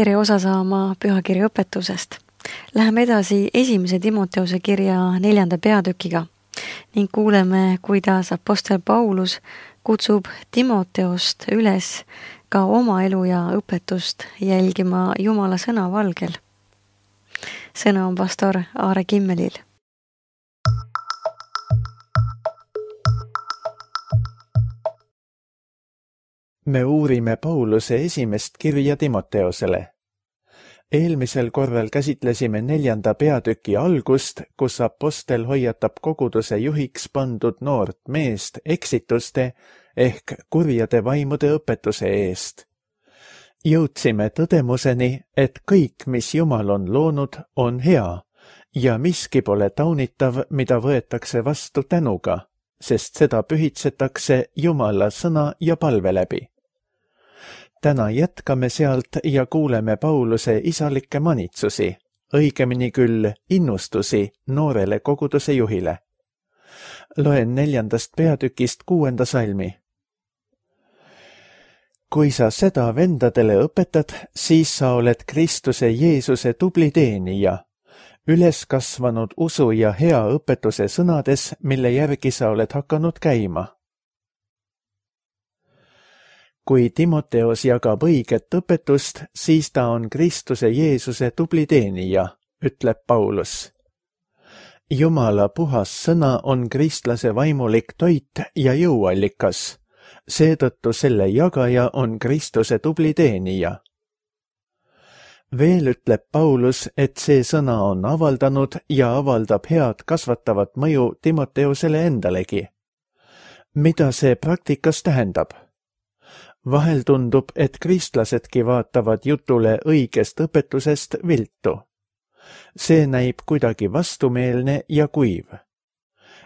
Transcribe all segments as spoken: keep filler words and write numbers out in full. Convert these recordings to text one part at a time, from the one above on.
tere osa saama pühakirja õpetusest. Läheme edasi esimese Timoteuse kirja neljanda peatükiga ning kuuleme, kuidas apostel Paulus kutsub Timoteost üles ka oma elu ja õpetust jälgima Jumala sõna valgel. Sõna on pastor Aare Kimmelil. Me uurime Pauluse esimest kirja Timoteosele. Eelmisel korral käsitlesime neljanda peatüki algust, kus apostel hoiatab koguduse juhiks pandud noort meest eksituste ehk kurjade vaimude õpetuse eest. Jõudsime tõdemuseni, et kõik, mis Jumal on loonud, on hea ja miski pole taunitav, mida võetakse vastu tänuga, sest seda pühitsetakse Jumala sõna ja palve läbi. Täna jätkame sealt ja kuuleme Pauluse isalikke manitsusi, õigemini küll innustusi noorele koguduse juhile. Loen neljandast peatükist kuuenda salmi. Kui sa seda vendadele õpetad, siis sa oled Kristuse Jeesuse tubli teenija, üles kasvanud usu ja hea õpetuse sõnades, mille järgi sa oled hakanud käima. Kui Timoteos jagab õiget õpetust, siis ta on Kristuse Jeesuse tubli teenija, ütleb Paulus. Jumala puhas sõna on kristlase vaimulik toit ja jõuallikas, seetõttu selle jagaja on Kristuse tubli teenija. Veel ütleb Paulus, et see sõna on avaldanud ja avaldab head kasvatavat mõju Timoteosele endalegi. Mida see praktikas tähendab? Vahel tundub, et kristlasedki vaatavad jutule õigest õpetusest viltu. See näib kuidagi vastumeelne ja kuiv.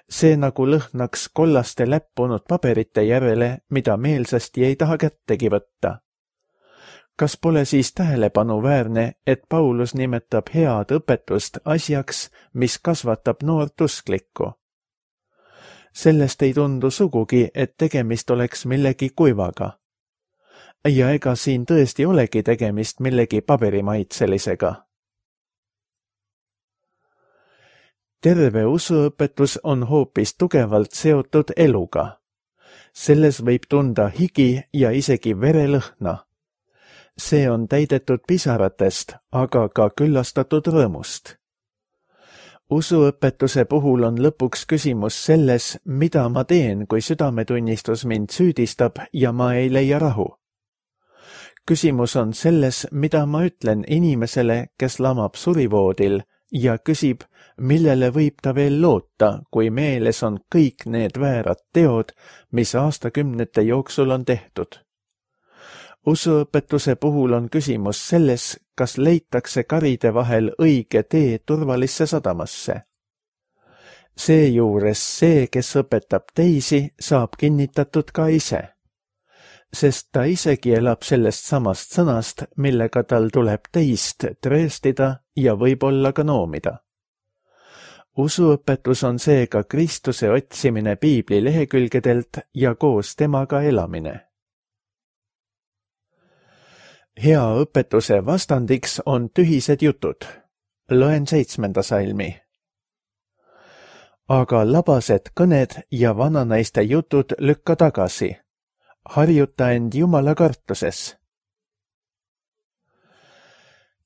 See nagu lõhnaks kollaste läppunud paberite järele, mida meelsasti ei taha kättegi võtta. Kas pole siis tähelepanuväärne, et Paulus nimetab head õpetust asjaks, mis kasvatab noort usklikku? Sellest ei tundu sugugi, et tegemist oleks millegi kuivaga. Ja ega siin tõesti olegi tegemist millegi paberimaitselisega. Terve usuõpetus on hoopis tugevalt seotud eluga. Selles võib tunda higi ja isegi verelõhna. See on täidetud pisaratest, aga ka küllastatud rõõmust. Usuõpetuse puhul on lõpuks küsimus selles, mida ma teen, kui südametunnistus mind süüdistab ja ma ei leia rahu. Küsimus on selles, mida ma ütlen inimesele, kes lamab surivoodil ja küsib, millele võib ta veel loota, kui meeles on kõik need väärad teod, mis aastakümnete jooksul on tehtud. Usuõpetuse puhul on küsimus selles, kas leitakse karide vahel õige tee turvalisse sadamasse. Seejuures see, kes õpetab teisi, saab kinnitatud ka ise. Sest ta isegi elab sellest samast sõnast, millega tal tuleb teist trööstida ja võib-olla ka noomida. Usuõpetus on seega Kristuse otsimine Piibli lehekülgedelt ja koos temaga elamine. Hea õpetuse vastandiks on tühised jutud. Loen seitsmenda salmi. Aga labased kõned ja vananaiste jutud lükka tagasi. Harjuta end Jumala kartuses.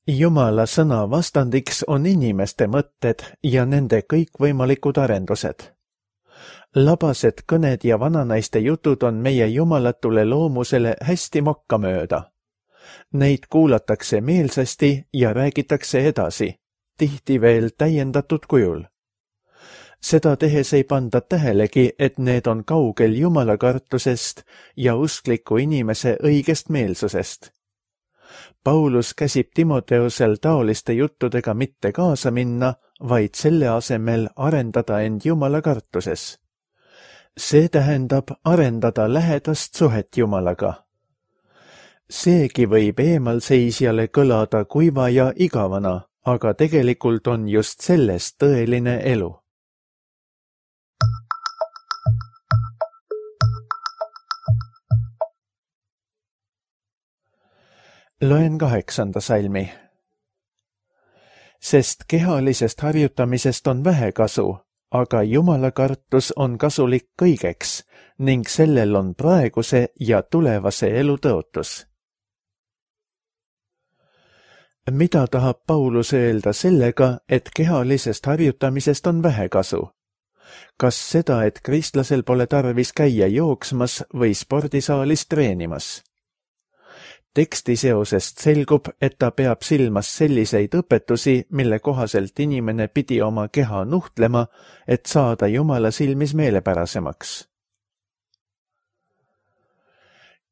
Jumala sõna vastandiks on inimeste mõtted ja nende kõikvõimalikud arendused. Labased kõned ja vananaiste jutud on meie jumalatule loomusele hästi mokkamööda. Neid kuulatakse meelsasti ja räägitakse edasi, tihti veel täiendatud kujul. Seda tehes ei panda tähelegi, et need on kaugel Jumala kartusest ja uskliku inimese õigest meelsusest. Paulus käsib Timoteusel taoliste juttudega mitte kaasa minna, vaid selle asemel arendada end Jumala kartuses. See tähendab arendada lähedast suhet Jumalaga. Seegi võib eemalseisjale kõlada kuiva ja igavana, aga tegelikult on just selles tõeline elu. Loen kaheksanda salmi. Sest kehalisest harjutamisest on vähe kasu, aga Jumala kartus on kasulik kõigeks ning sellel on praeguse ja tulevase elu tõotus. Mida tahab Paulus öelda sellega, et kehalisest harjutamisest on vähe kasu? Kas seda, et kristlasel pole tarvis käia jooksmas või spordisaalis treenimas? Teksti seosest selgub, et ta peab silmas selliseid õpetusi, mille kohaselt inimene pidi oma keha nuhtlema, et saada Jumala silmis meelepärasemaks.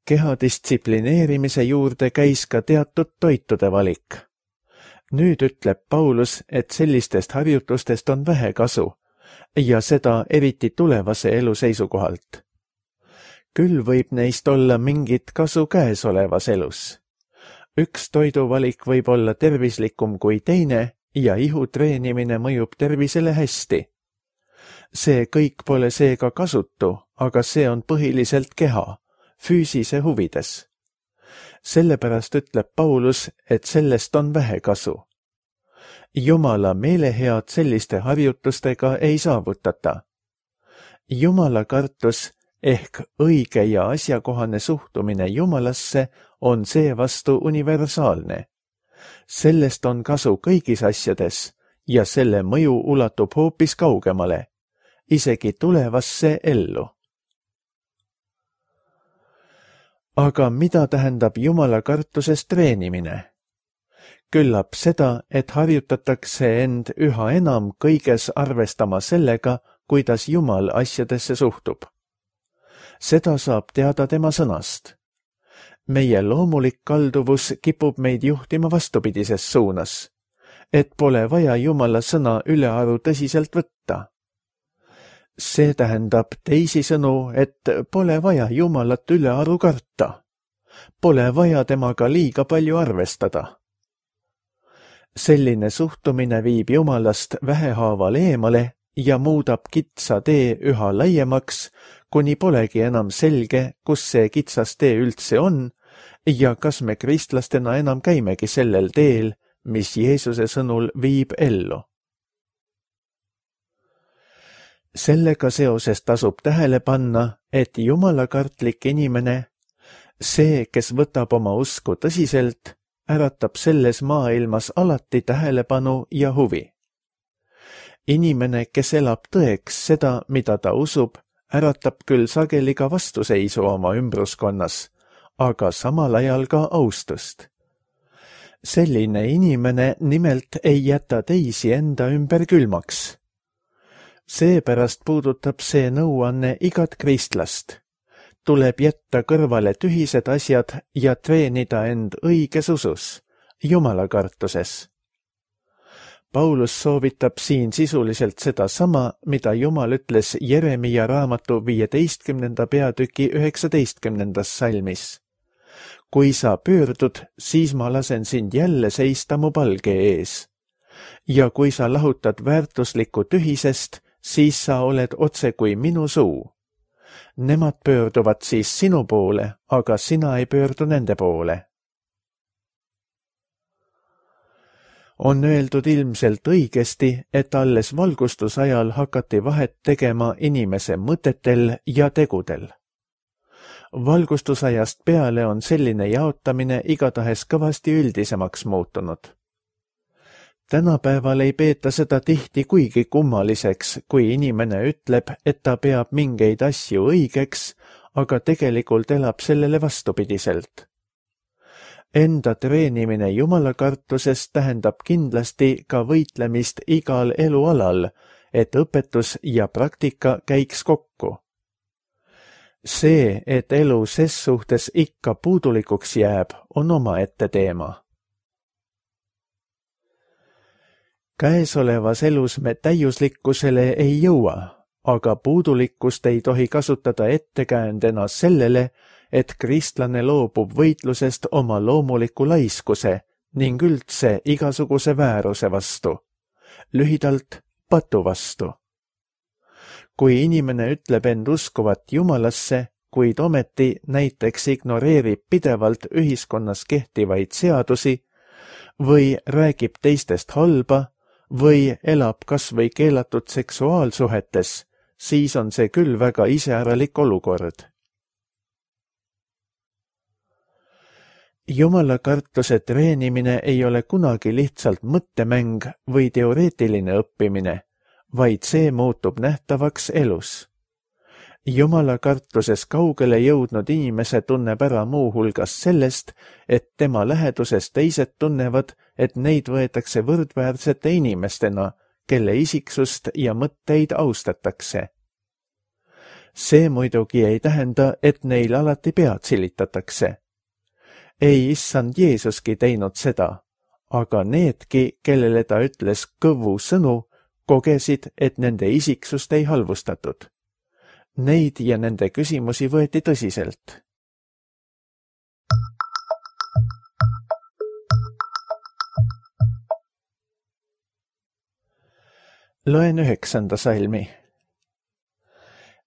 Keha distsiplineerimise juurde käis ka teatud toitude valik. Nüüd ütleb Paulus, et sellistest harjutustest on vähe kasu ja seda eriti tulevase elu seisukohalt. Küll võib neist olla mingit kasu käesolevas elus. Üks toiduvalik võib olla tervislikum kui teine ja ihu treenimine mõjub tervisele hästi. See kõik pole seega kasutu, aga see on põhiliselt keha, füüsise huvides. Sellepärast ütleb Paulus, et sellest on vähe kasu. Jumala meelehead selliste harjutustega ei saavutata. Jumala kartus ehk õige ja asjakohane suhtumine Jumalasse on seevastu universaalne. Sellest on kasu kõigis asjades ja selle mõju ulatub hoopis kaugemale, isegi tulevasse ellu. Aga mida tähendab Jumala kartusest treenimine? Küllap seda, et harjutatakse end üha enam kõiges arvestama sellega, kuidas Jumal asjadesse suhtub. Seda saab teada tema sõnast. Meie loomulik kalduvus kipub meid juhtima vastupidises suunas, et pole vaja Jumala sõna ülearu tõsiselt võtta. See tähendab teisisõnu, et pole vaja Jumalat ülearu karta. Pole vaja temaga liiga palju arvestada. Selline suhtumine viib Jumalast vähehaaval eemale ja muudab kitsa tee üha laiemaks, kuni polegi enam selge, kus see kitsas tee üldse on ja kas me kristlastena enam käimegi sellel teel, mis Jeesuse sõnul viib ellu. Sellega seoses tasub tähele panna, et jumalakartlik inimene, see, kes võtab oma usku tõsiselt, äratab selles maailmas alati tähelepanu ja huvi. Inimene, kes elab tõeks seda, mida ta usub, äratab küll sageli ka vastuseisu oma ümbruskonnas, aga samal ajal ka austust. Selline inimene nimelt ei jäta teisi enda ümber külmaks. Seepärast puudutab see nõuanne igat kristlast. Tuleb jätta kõrvale tühised asjad ja treenida end õiges usus, jumalakartuses. Paulus soovitab siin sisuliselt seda sama, mida Jumal ütles Jeremia raamatu viieteistkümnenda peatüki üheksateistkümnendas salmis. Kui sa pöördud, siis ma lasen sind jälle seista mu palge ees. Ja kui sa lahutad väärtuslikku tühisest, siis sa oled otse kui minu suu. Nemad pöörduvad siis sinu poole, aga sina ei pöördu nende poole. On öeldud ilmselt õigesti, et alles valgustusajal hakati vahet tegema inimese mõtetel ja tegudel. Valgustusajast peale on selline jaotamine igatahes kõvasti üldisemaks muutunud. Tänapäeval ei peeta seda tihti kuigi kummaliseks, kui inimene ütleb, et ta peab mingeid asju õigeks, aga tegelikult elab sellele vastupidiselt. Enda treenimine jumalakartusest tähendab kindlasti ka võitlemist igal elualal, et õpetus ja praktika käiks kokku. See, et elu ses suhtes ikka puudulikuks jääb, on omaette teema. Käesolevas elus me täiuslikkusele ei jõua, aga puudulikkust ei tohi kasutada ettekäändena sellele, et kristlane loobub võitlusest oma loomuliku laiskuse ning üldse igasuguse vääruse vastu, lühidalt patu vastu. Kui inimene ütleb end uskuvat Jumalasse, kuid ometi näiteks ignoreerib pidevalt ühiskonnas kehtivaid seadusi või räägib teistest halba või elab kas või keelatud seksuaalsuhetes, siis on see küll väga iseäralik olukord. Jumalakartuse treenimine ei ole kunagi lihtsalt mõttemäng või teoreetiline õppimine, vaid see muutub nähtavaks elus. Jumalakartuses kaugele jõudnud inimese tunneb ära muu hulgas sellest, et tema läheduses teised tunnevad, et neid võetakse võrdväärsete inimestena, kelle isiksust ja mõtteid austatakse. See muidugi ei tähenda, et neil alati pead silitatakse. Ei issand Jeesuski teinud seda, aga needki, kellele ta ütles kõvu sõnu, kogesid, et nende isiksust ei halvustatud. Neid ja nende küsimusi võeti tõsiselt. Loen üheksanda salmi.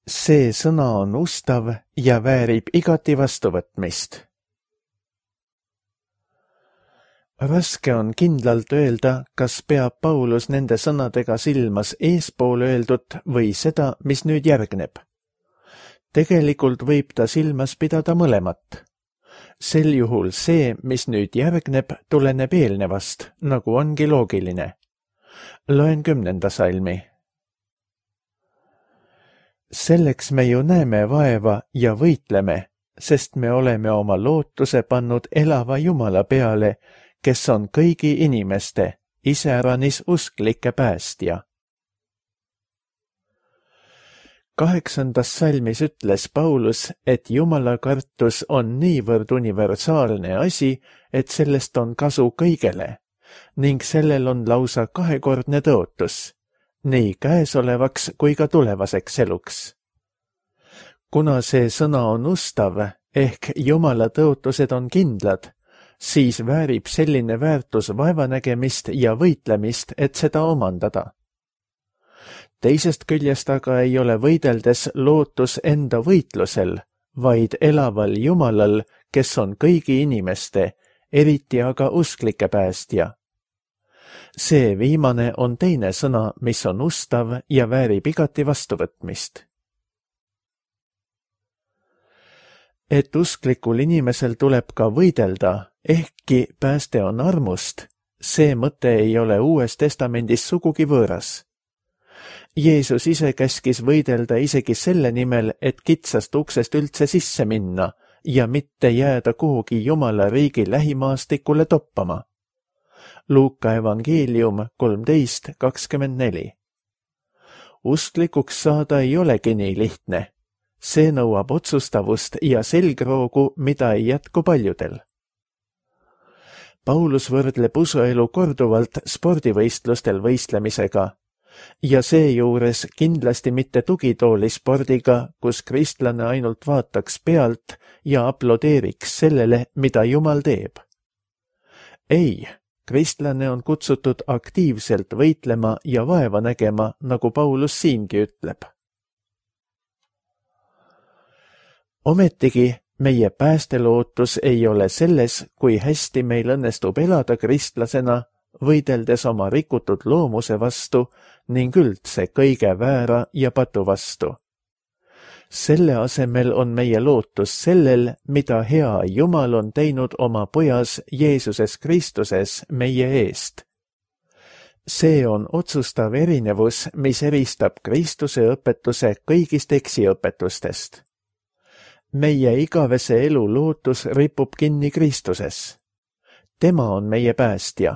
See sõna on ustav ja väärib igati vastuvõtmist. Raske on kindlalt öelda, kas peab Paulus nende sõnadega silmas eespool öeldut või seda, mis nüüd järgneb. Tegelikult võib ta silmas pidada mõlemat. Sel juhul see, mis nüüd järgneb, tuleneb eelnevast, nagu ongi loogiline. Loen kümnenda salmi. Selleks me ju näeme vaeva ja võitleme, sest me oleme oma lootuse pannud elava Jumala peale, kes on kõigi inimeste, iseäranis usklike päästja. Kaheksandas salmis ütles Paulus, et Jumala kartus on niivõrd universaalne asi, et sellest on kasu kõigele, ning sellel on lausa kahekordne tõotus, nii käesolevaks kui ka tulevaseks eluks. Kuna see sõna on ustav, ehk Jumala tõotused on kindlad, siis väärib selline väärtus vaevanägemist ja võitlemist, et seda omandada. Teisest küljest aga ei ole võideldes lootus enda võitlusel, vaid elaval Jumalal, kes on kõigi inimeste, eriti aga usklike päästja. See viimane on teine sõna, mis on ustav ja väärib igati vastuvõtmist. Et usklikul inimesel tuleb ka võidelda, ehkki pääste on armust, see mõte ei ole Uues Testamendis sugugi võõras. Jeesus ise käskis võidelda isegi selle nimel, et kitsast uksest üldse sisse minna ja mitte jääda kuhugi Jumala riigi lähimaastikule toppama. Luuka evangeelium kolmteist kakskümmend neli. Usklikuks saada ei olegi nii lihtne. See nõuab otsustavust ja selgroogu, mida ei jätku paljudel. Paulus võrdleb usuelu korduvalt spordivõistlustel võistlemisega ja seejuures kindlasti mitte tugitoolispordiga, kus kristlane ainult vaataks pealt ja aplodeeriks sellele, mida Jumal teeb. Ei, kristlane on kutsutud aktiivselt võitlema ja vaeva nägema, nagu Paulus siingi ütleb. Ometigi meie päästelootus ei ole selles, kui hästi meil õnnestub elada kristlasena, võideldes oma rikutud loomuse vastu ning üldse kõige väära ja patu vastu. Selle asemel on meie lootus sellel, mida hea Jumal on teinud oma pojas Jeesuses Kristuses meie eest. See on otsustav erinevus, mis eristab Kristuse õpetuse kõigist eksiõpetustest. Meie igavese elu lootus ripub kinni Kristuses. Tema on meie päästja.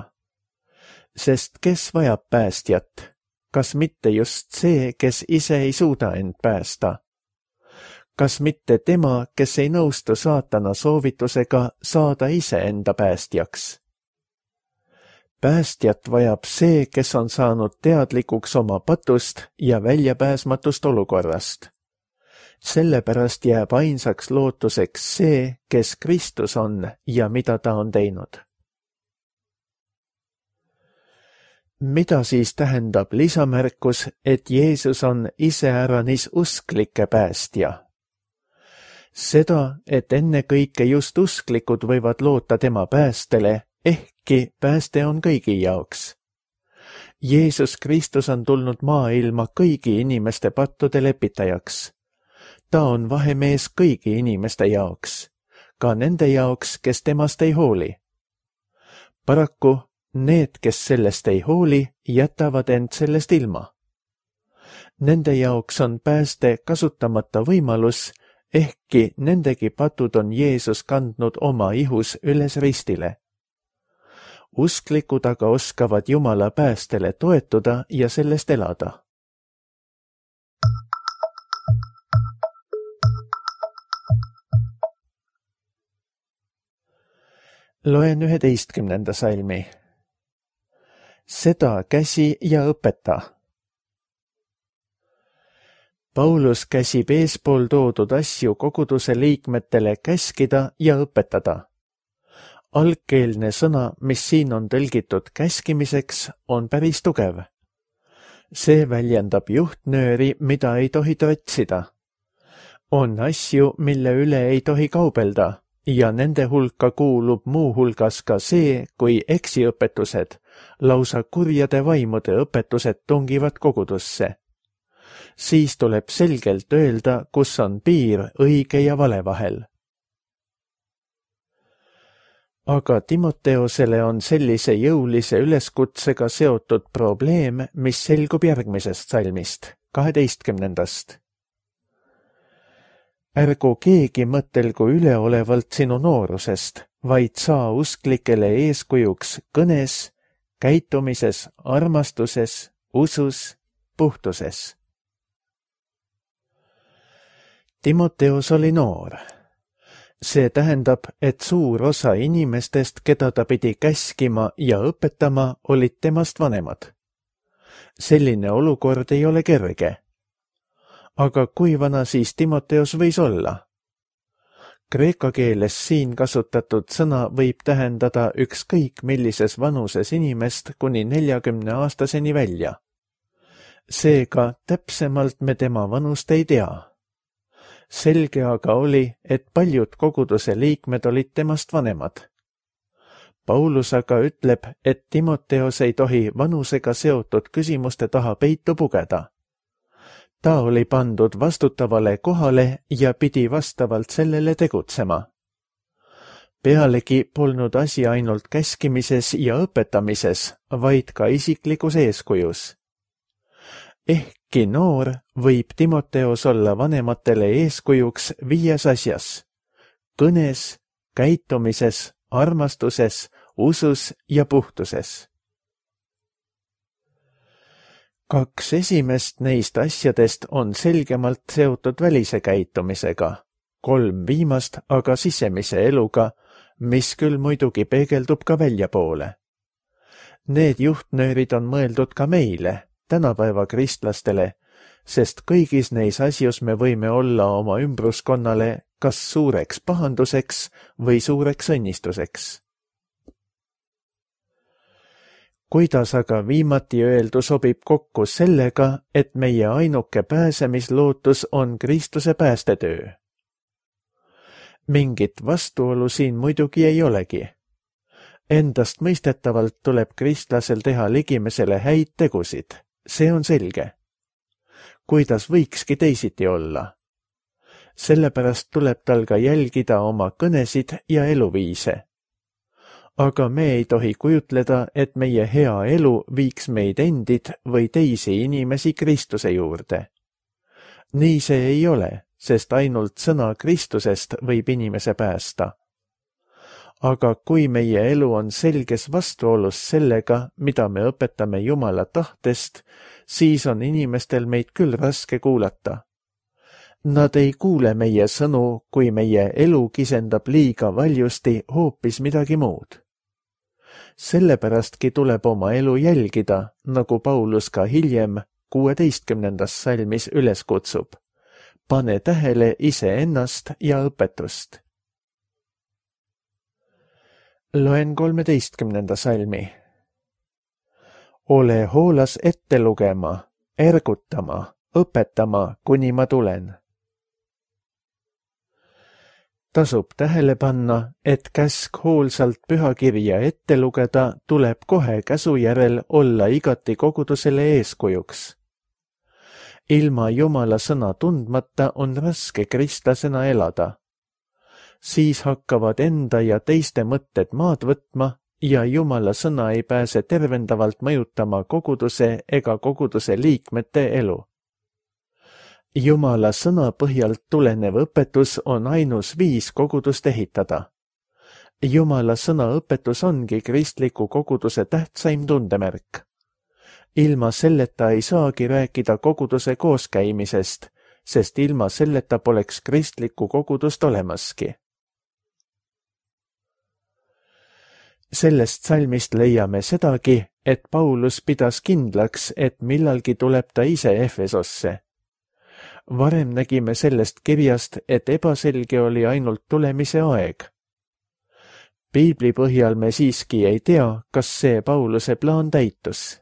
Sest kes vajab päästjat? Kas mitte just see, kes ise ei suuda end päästa? Kas mitte tema, kes ei nõustu saatana soovitusega saada ise enda päästjaks? Päästjat vajab see, kes on saanud teadlikuks oma patust ja väljapääsmatust olukorrast. Sellepärast jääb ainsaks lootuseks see, kes Kristus on ja mida ta on teinud. Mida siis tähendab lisamärkus, et Jeesus on iseäranis usklike päästja? Seda, et ennekõike just usklikud võivad loota tema päästele, ehkki pääste on kõigi jaoks. Jeesus Kristus on tulnud maailma kõigi inimeste pattude lepitajaks. Ta on vahemees kõigi inimeste jaoks, ka nende jaoks, kes temast ei hooli. Paraku need, kes sellest ei hooli, jätavad end sellest ilma. Nende jaoks on pääste kasutamata võimalus, ehkki nendegi patud on Jeesus kandnud oma ihus üles ristile. Usklikud aga oskavad Jumala päästele toetuda ja sellest elada. Loen üheteistkümnenda salmi. Seda käsi ja õpeta. Paulus käsib eespool toodud asju koguduse liikmetele käskida ja õpetada. Algkeelne sõna, mis siin on tõlgitud käskimiseks, on päris tugev. See väljendab juhtnööri, mida ei tohi trotsida. On asju, mille üle ei tohi kaubelda ja nende hulka kuulub muu hulgas ka see, kui eksiõpetused, lausa kurjade vaimude õpetused tungivad kogudusse. Siis tuleb selgelt öelda, kus on piir õige ja vale vahel. Aga Timoteosele on sellise jõulise üleskutsega seotud probleem, mis selgub järgmisest salmist, kaheteistkümnendast. Ärgu keegi mõtelgu üleolevalt sinu noorusest, vaid saa usklikele eeskujuks kõnes, käitumises, armastuses, usus, puhtuses. Timoteos oli noor. See tähendab, et suur osa inimestest, keda ta pidi käskima ja õpetama, olid temast vanemad. Selline olukord ei ole kerge. Aga kui vana siis Timoteos võis olla? Kreeka keeles siin kasutatud sõna võib tähendada ükskõik millises vanuses inimest kuni neljakümne aastaseni välja. Seega täpsemalt me tema vanust ei tea. Selge aga oli, et paljud koguduse liikmed olid temast vanemad. Paulus aga ütleb, et Timoteos ei tohi vanusega seotud küsimuste taha peitu pugeda. Ta oli pandud vastutavale kohale ja pidi vastavalt sellele tegutsema. Pealegi polnud asi ainult käskimises ja õpetamises, vaid ka isiklikus eeskujus. Ehkki noor võib Timoteos olla vanematele eeskujuks viies asjas: kõnes, käitumises, armastuses, usus ja puhtuses. Kaks esimest neist asjadest on selgemalt seotud välise käitumisega, kolm viimast aga sisemise eluga, mis küll muidugi peegeldub ka väljapoole. Need juhtnöörid on mõeldud ka meile, tänapäeva kristlastele, sest kõigis neis asjus me võime olla oma ümbruskonnale kas suureks pahanduseks või suureks õnnistuseks. Kuidas aga viimati öeldu sobib kokku sellega, et meie ainuke pääsemislootus on Kristuse päästetöö? Mingit vastuolu siin muidugi ei olegi. Endast mõistetavalt tuleb kristlasel teha ligimesele häid tegusid, see on selge. Kuidas võikski teisiti olla? Sellepärast tuleb tal ka jälgida oma kõnesid ja eluviise. Aga me ei tohi kujutleda, et meie hea elu viiks meid endid või teisi inimesi Kristuse juurde. Nii see ei ole, sest ainult sõna Kristusest võib inimese päästa. Aga kui meie elu on selges vastuolus sellega, mida me õpetame Jumala tahtest, siis on inimestel meid küll raske kuulata. Nad ei kuule meie sõnu, kui meie elu kisendab liiga valjusti hoopis midagi muud. Sellepäradki tuleb oma elu jälgida, nagu Paulus ka hiljem kuueteistkümnendas salmis üles kutsub. Pane tähele iseennast ja õpetust. Loen kolmeteistkümnenda salmi. Ole hoolas ette lugema, ergutama, õpetama, kuni ma tulen. Tasub tähele panna, et käsk hoolsalt pühakirja ette lugeda tuleb kohe käsu järel olla igati kogudusele eeskujuks. Ilma Jumala sõna tundmata on raske kristlasena elada. Siis hakkavad enda ja teiste mõtted maad võtma ja Jumala sõna ei pääse tervendavalt mõjutama koguduse ega koguduse liikmete elu. Jumala sõna põhjalt tulenev õpetus on ainus viis kogudust ehitada. Jumala sõna õpetus ongi kristliku koguduse tähtsaim tundemärk. Ilma selleta ei saagi rääkida koguduse kooskäimisest, sest ilma selleta poleks kristlikku kogudust olemaski. Sellest salmist leiame sedagi, et Paulus pidas kindlaks, et millalgi tuleb ta ise Efesosse. Varem nägime sellest kirjast, et ebaselge oli ainult tulemise aeg. Piibli põhjal me siiski ei tea, kas see Pauluse plaan täitus.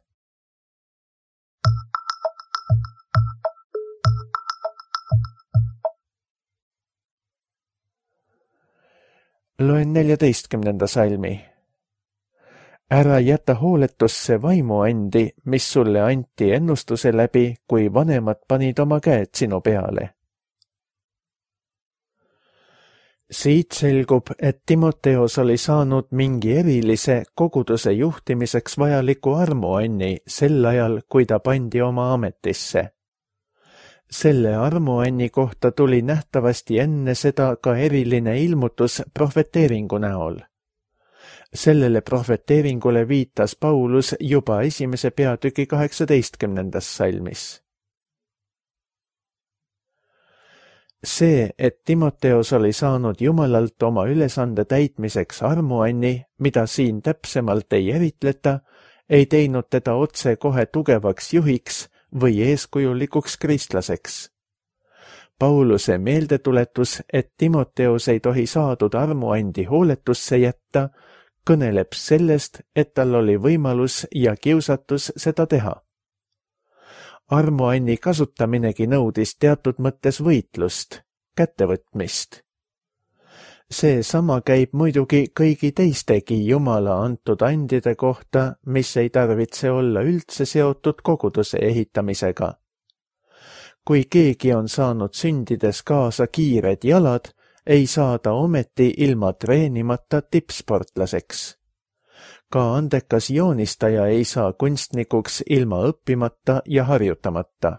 Loen neljateistkümnenda salmi. Ära jäta hooletusse vaimuandi, mis sulle anti ennustuse läbi, kui vanemad panid oma käed sinu peale. Siit selgub, et Timoteos oli saanud mingi erilise koguduse juhtimiseks vajaliku armuanni sel ajal, kui ta pandi oma ametisse. Selle armuanni kohta tuli nähtavasti enne seda ka eriline ilmutus prohveteeringu näol. Sellele prohveteeringule viitas Paulus juba esimese peatüki kaheksateistkümnendas salmis. See, et Timoteos oli saanud Jumalalt oma ülesande täitmiseks armuanni, mida siin täpsemalt ei eritleta, ei teinud teda otse kohe tugevaks juhiks või eeskujulikuks kristlaseks. Pauluse meeldetuletus, et Timoteos ei tohi saadud armuandi hooletusse jätta, kõneleb sellest, et tal oli võimalus ja kiusatus seda teha. Armuanni kasutaminegi nõudis teatud mõttes võitlust, kättevõtmist. See sama käib muidugi kõigi teistegi Jumala antud andide kohta, mis ei tarvitse olla üldse seotud koguduse ehitamisega. Kui keegi on saanud sündides kaasa kiired jalad, ei saa ta ometi ilma treenimata tippsportlaseks. Ka andekas joonistaja ei saa kunstnikuks ilma õppimata ja harjutamata.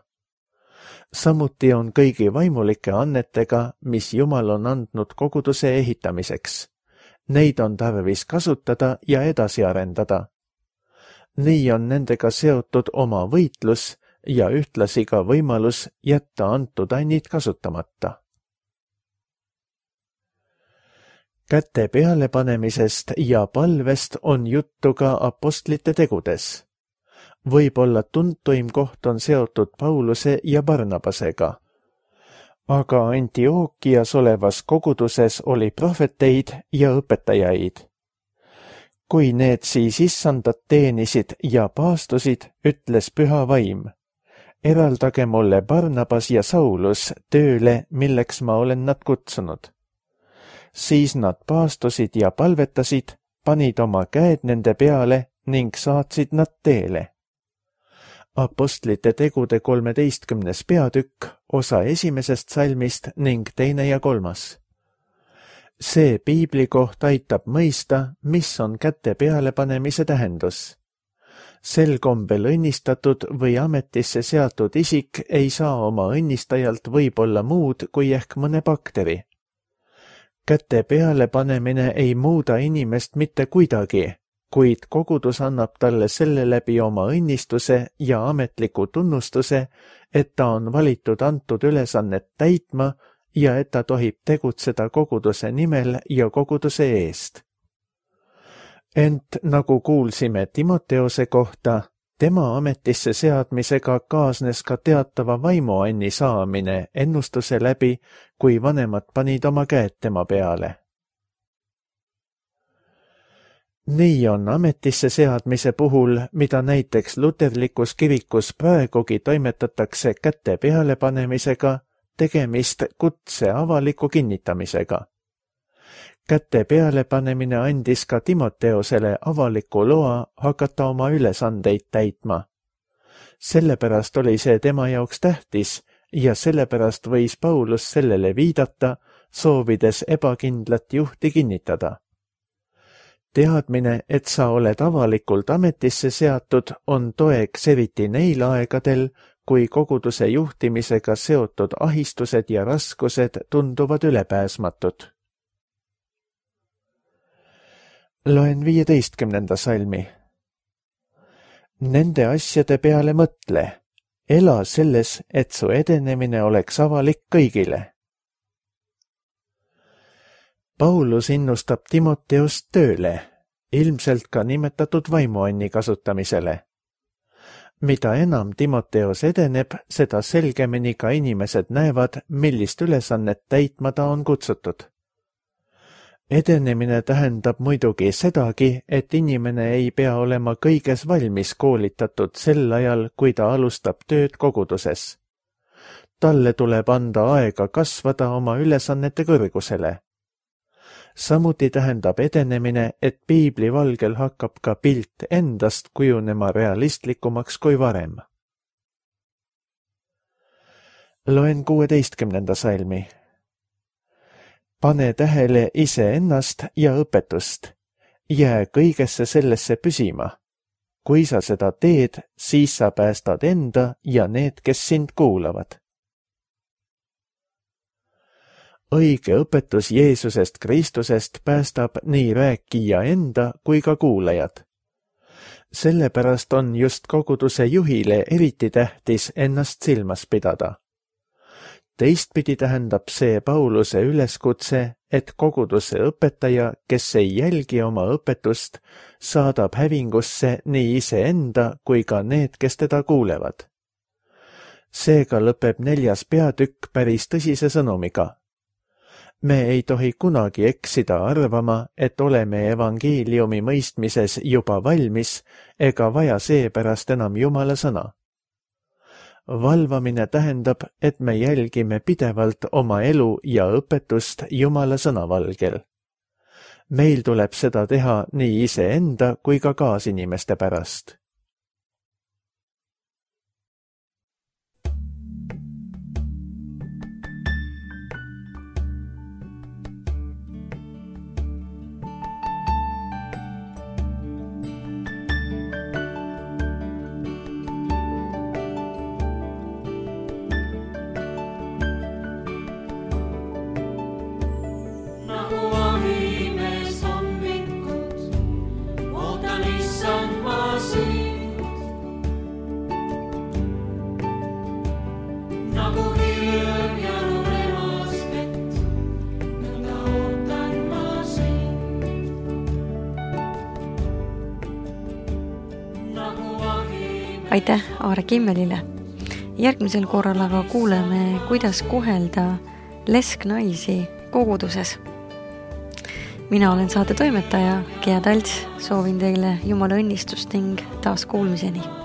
Samuti on kõigi vaimulike annetega, mis Jumal on andnud koguduse ehitamiseks. Neid on tarvis kasutada ja edasi arendada. Nii on nendega seotud oma võitlus ja ühtlasi ka võimalus jätta antud annid kasutamata. Käte pealepanemisest ja palvest on juttu ka apostlite tegudes. Võib-olla tuntuim koht on seotud Pauluse ja Barnabasega. Aga Antiookias olevas koguduses oli prohveteid ja õpetajaid. Kui need siis issandat teenisid ja paastusid, ütles püha vaim. Eraldage mulle Barnabas ja Saulus tööle, milleks ma olen nad kutsunud. Siis nad paastusid ja palvetasid, panid oma käed nende peale ning saatsid nad teele. Apostlite tegude kolmeteistkümnes peatükk, osa esimesest salmist ning teine ja kolmas. See piibli koht aitab mõista, mis on käte pealepanemise tähendus. Sel kombel õnnistatud või ametisse seatud isik ei saa oma õnnistajalt võib-olla muud kui ehk mõne bakteri. Käte peale panemine ei muuda inimest mitte kuidagi, kuid kogudus annab talle selle läbi oma õnnistuse ja ametliku tunnustuse, et ta on valitud antud ülesannet täitma ja et ta tohib tegutseda koguduse nimel ja koguduse eest. Ent nagu kuulsime Timoteose kohta, tema ametisse seadmisega kaasnes ka teatava vaimuanni saamine ennustuse läbi, kui vanemad panid oma käed tema peale. Nii on ametisse seadmise puhul, mida näiteks luterlikus kirikus praegugi toimetatakse käte pealepanemisega, tegemist kutse avaliku kinnitamisega. käte pealepanemine andis ka Timoteosele avaliku loa hakata oma ülesandeid täitma. Sellepärast oli see tema jaoks tähtis ja sellepärast võis Paulus sellele viidata, soovides ebakindlat juhti kinnitada. Teadmine, et sa oled avalikult ametisse seatud, on toeks eriti neil aegadel, kui koguduse juhtimisega seotud ahistused ja raskused tunduvad ülepääsmatud. Loen viieteistkümnenda salmi. Nende asjade peale mõtle, ela selles, et su edenemine oleks avalik kõigile. Paulus innustab Timoteost tööle, ilmselt ka nimetatud vaimuanni kasutamisele. Mida enam Timoteos edeneb, seda selgemini ka inimesed näevad, millist ülesannet täitma ta on kutsutud. Edenemine tähendab muidugi sedagi, et inimene ei pea olema kõiges valmis koolitatud sel ajal, kui ta alustab tööd koguduses. Talle tuleb anda aega kasvada oma ülesannete kõrgusele. Samuti tähendab edenemine, et piibli valgel hakkab ka pilt endast kujunema realistlikumaks kui varem. Loen kuueteistkümnenda salmi. Pane tähele iseennast ja õpetust. Jää kõigesse sellesse püsima. Kui sa seda teed, siis sa päästad enda ja need, kes sind kuulavad. Õige õpetus Jeesusest Kristusest päästab nii rääkija enda kui ka kuulajad. Sellepärast on just koguduse juhile eriti tähtis ennast silmas pidada. Teistpidi tähendab see Pauluse üleskutse, et koguduse õpetaja, kes ei jälgi oma õpetust, saadab hävingusse nii iseenda kui ka need, kes teda kuulevad. Seega lõpeb neljas peatükk päris tõsise sõnumiga. Me ei tohi kunagi eksida arvama, et oleme evangeeliumi mõistmises juba valmis ega vaja seepärast enam Jumala sõna. Valvamine tähendab, et me jälgime pidevalt oma elu ja õpetust Jumala sõna valgel. Meil tuleb seda teha nii iseenda kui ka kaasinimeste pärast. Aitäh Aare Kimmelile. Järgmisel korral aga kuuleme, kuidas kohelda lesknaisi koguduses. Mina olen saate toimetaja Gea Talts, soovin teile Jumala õnnistust ning taas kuulmiseni.